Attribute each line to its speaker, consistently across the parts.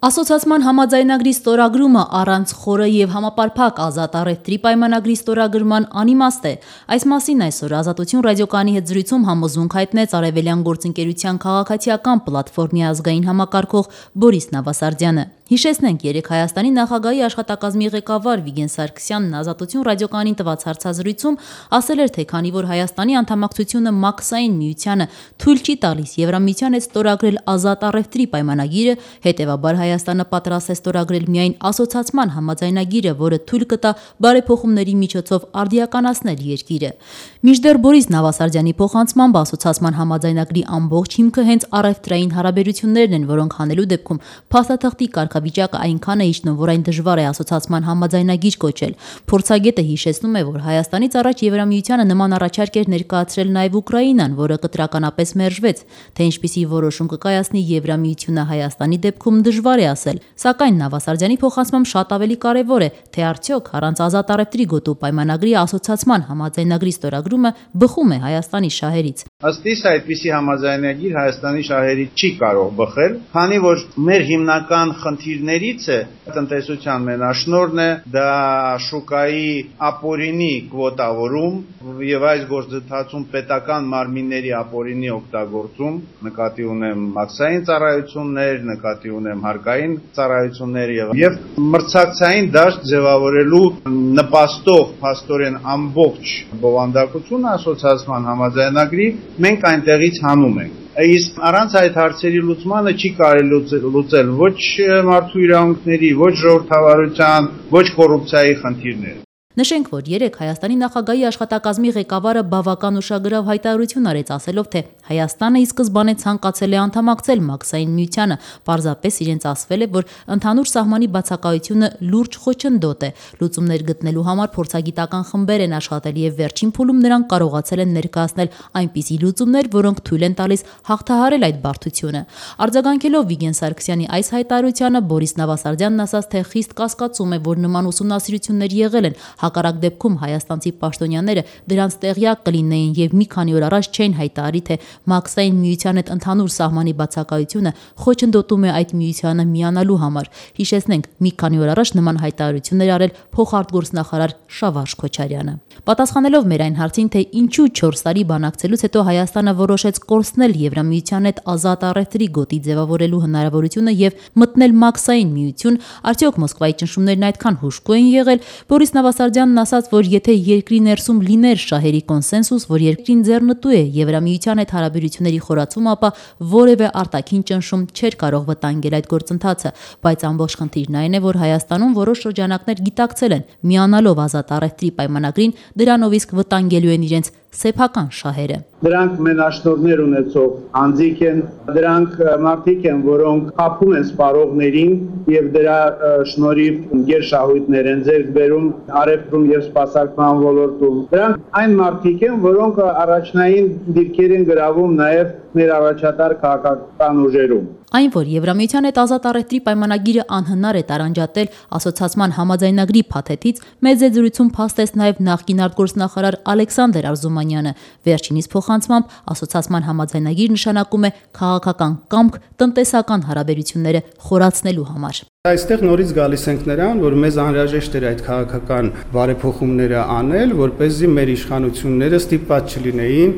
Speaker 1: Ասոցիացման համաձայնագրի ստորագրումը առանց խորը եւ համապարփակ ազատ առևտրի պայմանագրի ստորագրման անիմաստ է։ Այս մասին այսօր Ազատություն ռադիոկայանի հետ զրույցում համոզմունք հայտնեց Արևելյան գործընկերության քաղաքացիական պլատֆորմի ազգային համակարգող Բորիս Նավասարդյանը։ Հիշեցնենք, երեկ Հայաստանի նախագահի աշխատակազմի ղեկավար Վիգեն Սարգսյանն Ազատություն ռադիոկայանին տված հարցազրույցում ասել էր, թե քանի որ Հայաստանի անդամակցությունը Մաքսային միությանը թույլ չի տալիս Եվրամիության հետ ստորագրել ազատ առևտրի պայմանագիրը, հետևաբար Հայաստանը պատրաստ է ստորագրել միայն ասոցիացման համաձայնագիրը, որը թույլ կտա բարեփոխումների միջոցով արդիականացնել երկիրը։ Մինչդեռ Բորիս Նավասարդյանի փոխանցմամբ ասոցիացման համաձայնագրի ամբողջ հիմքը հենց առևտրային հարաբերություններն են, որոնք հանելու դեպքում փաստաթղթի կարգավիճակը այնքան է իջնում, որ այն դժվար է ասոցիացման համաձայնագիր կոչել։ Փորձագետը հիշեցնում է, որ Հայաստանից առաջ Եվրամիությանը նման առաջարկ էր ներկայացրել նաև Ուկրաինան, որը կտրականապես մերժվեց, թե ինչպիսի որոշում կկայացնի Եվրամիությունը Հայաստանի դեպքում դժվար է ասել, սակայն Նավասարդյանի փոխանցմամբ շատ ավելի կարևոր է, թե արդյոք առանց ազատ առևտրի գոտու պայմանագրի ասոցիացման համաձայնագրի ստորագրումը բխում է Հայաստանի շահերից։
Speaker 2: Ըստ իս այդպիսի համաձայնագիր Հայաստանի շահերից չի կարող բխել, քանի որ մեր հիմնական խնդիրներից է տնտեսության մենաշնորհն է, դա շուկայի ապօրինի կվոտավորում եւ այս գործընթացում պետական մարմինների ապօրինի օգտագործում, նկատի ունեմ մաքսային ծառայություններ, նկատի ունեմ հարկային ծառայություններ եւ մրցակցային դաշտ ձևավորելու նպաստող փաստորեն ամբողջ բովանդակությունը ասոցիացման համաձայնագրի մենք այնտեղից հանում ենք։ Իսկ առանց այդ հարցերի լուծմանը չի կարելի լուծել ոչ մարդու իրավունքների, ոչ ժողովրդավարության, ոչ կոռուպցիայի խնդիրները։
Speaker 1: Նշենք, որ երեկ Հայաստանի նախագահի աշխատակազմի ղեկավարը բավական ուշագրավ հայտարարություն արեց, ասելով, թե Հայաստանը ի սկզբանե ցանկացել է անդամակցել Մաքսային միությանը, պարզապես իրենց ասվել է, որ ընդհանուր սահմանի բացակայությունը լուրջ խոչընդոտ է։ Լուծումներ գտնելու համար փորձագիտական խմբեր են աշխատել եւ վերջին փուլում նրանք կարողացել են ներկայացնել այնպիսի լուծումներ, որոնք թույլ են տալիս հաղթահարել այդ բարդությունը։ Արձագանքելով Վիգեն Սարգսյանի այս հայտարարությանը Բորիս Նավասարդյանն ասաց, թե խիստ կասկածում է, որ նման ուսումնասիրություններ եղել են։ Հակառակ դեպքում հայաստանցի պաշտոնյաները դրանց տեղյակ կլինեին եւ մի քանի օր առաջ չէին հայտարարի, թե Մաքսային միության հետ ընդհանուր սահմանի բացակայությունը խոչընդոտում է այդ միությանը միանալու համար։ Հիշեցնենք, մի քանի օր առաջ նման հայտարարություններ արել փոխարտգործնախարար Շավարժ Քոչարյանը։ Պատասխանելով մեր այն հարցին, թե ինչու 4 տարի բանակցելուց հետո Հայաստանը որոշեց կորցնել Եվրամիության հետ ազատ առևտրի գոտի ձևավորելու հնարավորությունը եւ մտնել Մաքսային միություն, արդյոք Մոսկվայի ճնշումներն այդքան հուժկու են եղել, Բորիս Նավասարդյանն ասաց, որ եթե երկրի ներսում լիներ շահերի կոնսենսուս, որ երկրին ձեռնտու է Եվրամիության հետ հարաբերությունների խորացումը, ապա որևէ արտաքին ճնշում չէր կարող վտանգել այդ գործընթացը, բայց ամբողջ խնդիրն այն է, որ Հայաստանում որոշ շրջանակներ գիտակցել են միանալով ազատ առևտրի պայմանագրին, դրանով իսկ վտանգելու են իրենց սեփական շահերը։
Speaker 2: Դրանք մենաշնորհներ ունեցող անձիկ են, դրանք մարդիկ են, որոնք խաբում են սպառողներին եւ դրա շնորհիվ գերշահույթներ են ձեռք բերում առևտրում եւ սպասարկման ոլորտում։ Դրանք այն մարդիկ են, որոնք առաջնային դիրքեր են գրավում նաեւ մեր առաջատար քաղաքական ուժերում։
Speaker 1: Այն, որ Եվրամիության հետ ազատ առևտրի պայմանագիրը անհնար է տարանջատել ասոցիացման համաձայնագրի փաթեթից, մեծ զրույցում փաստեց նաև նախկին արտգործնախարար Ալեքսանդր Արզումանյանը։ Վերջինիս փոխանցմամբ ասոցիացման համաձայնագիր նշանակում է քաղաքական կամք տնտեսական հարաբերությունները խորացնելու համար։
Speaker 3: Այստեղ նորից գալիս ենք նրան, որ մեզ անհրաժեշտ էր այդ քաղաքական բարեփոխումները անել, որպեսզի մեր իշխանությունները ստիպված չլինեին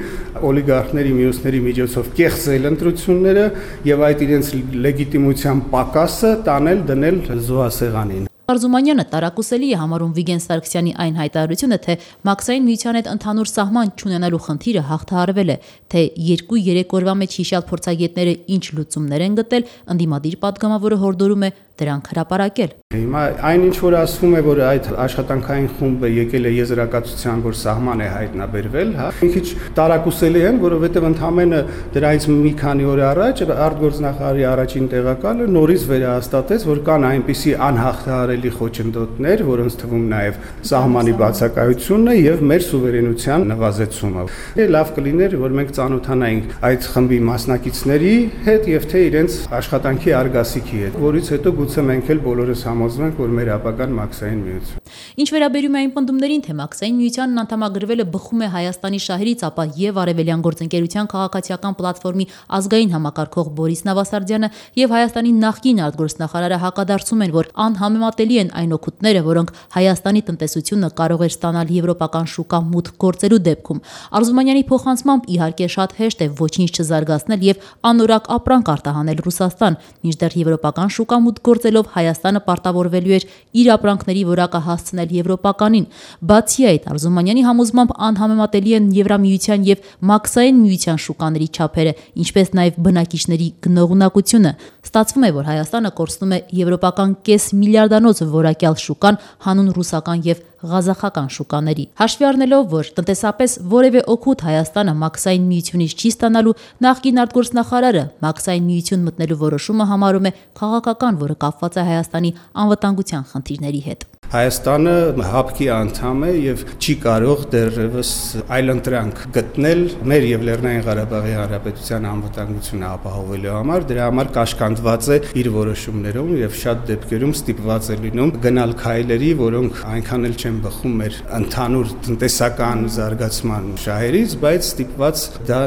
Speaker 3: օլիգարխների մյուսների միջոցով կեղծել ընտրությունները եւ այդ իրենց լեգիտիմության պակասը տանել դնել զոհասեղանին։
Speaker 1: Արզումանյանը տարակուսելի է համարում Վիգեն Սարգսյանի այն հայտարարությունը, թե Մաքսային միության հետ ընդհանուր սահման չունենալու խնդիրը հաղթահարվել է, թե 2-3 օրվա մեջ հիշյալ փորձագետները ինչ լուծումներ են գտել, ընդդիմադիր падգամավորը հորդորում է դրանք հրապարակել։
Speaker 3: Հիմա այնինչ որ ասվում է, որ այդ աշխատանքային խումբը եկել է եզրակացության, որ սահման է հայտնաբերվել, հա, մի քիչ տարակուսելի են, որովհետև ընդհանրապես դրանից մի քանի օր առաջ արտգործնախարարի առաջին տեղակալը նորից վերահաստատեց, որ կան այնպիսի անհաղթահարելի խոչընդոտներ, որոնց թվում նաև սահմանի բացակայությունն է եւ մեր սուվերենության նվազեցումը։ Լավ կլիներ, որ մենք ծանոթանայինք այդ խմբի մասնակիցների հետ եւ թե իրենց աշխատանքի արգասիքի հետ, որից հետո գուցե մենք էլ բոլորս համոզվենք, որ մեր ապագան Մաքսային միություն։
Speaker 1: Ինչ վերաբերում է այն պնդումներին, թե Մաքսային միությանն անդամագրվելը բխում է Հայաստանի շահերից, ապա եւ Արևելյան գործընկերության քաղաքացիական պլատֆորմի ազգային համակարգող Բորիս Նավասարդյանը եւ Հայաստանի նախկին արտգործնախարարը հակադարձում են, որ անհամեմատելի են այն օգուտները, որոնք Հայաստանի տնտեսությունը կարող էր ստանալ եվրոպական շուկա մուտք գործելու դեպքում։ Արզումանյանի փոխանցմամբ իհարկե շատ հեշտ է ոչինչ չզարգացնել եւ անորակ ապրանք արտահանել Ռուսաստան, մինչդեռ եվրոպական շուկա մուտք գործելով Հայաստանը պարտավորվելու էր իր ապրանքների որակը հասցնել եվրոպականին։ Բացի այդ, Արզումանյանի համոզմամբ անհամեմատելի են Եվրամիության եւ Մաքսային միության շուկաների չափերը, ինչպես նաեւ բնակիչների գնողունակությունը։ Ստացվում է, որ Հայաստանը կորցնում է եվրոպական կես միլիարդանոց որակյալ շուկան հանուն ռուսական եւ ղազախական շուկաների։ Հաշվի առնելով, որ տնտեսապես որևէ օգուտ Հայաստանը Մաքսային միությունից չի ստանալու, նախկին արտգործնախարարը Մաքսային միություն մտնելու որոշումը համարում է քաղաքական, որը կապված է Հայաստանի անվտանգության խնդիրների հետ։
Speaker 3: Հայաստանը ՀԱՊԿ-ի անդամ է եւ չի կարող դեռևս այլընտրանք գտնել մեր եւ Լեռնային Ղարաբաղի Հանրապետության անվտանգությունը ապահովելու համար, դրա համար կաշկանդված է իր որոշումներում եւ շատ դեպքերում ստիպված է լինում գնալ քայլերի, որոնք այնքան էլ չեն բխում մեր ընդհանուր տնտեսական զարգացման շահերից, բայց ստիպված դա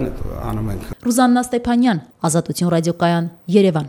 Speaker 3: անում ենք։
Speaker 1: Ռուզաննա Ստեփանյան, Ազատություն ռադիոկայան, Երևան։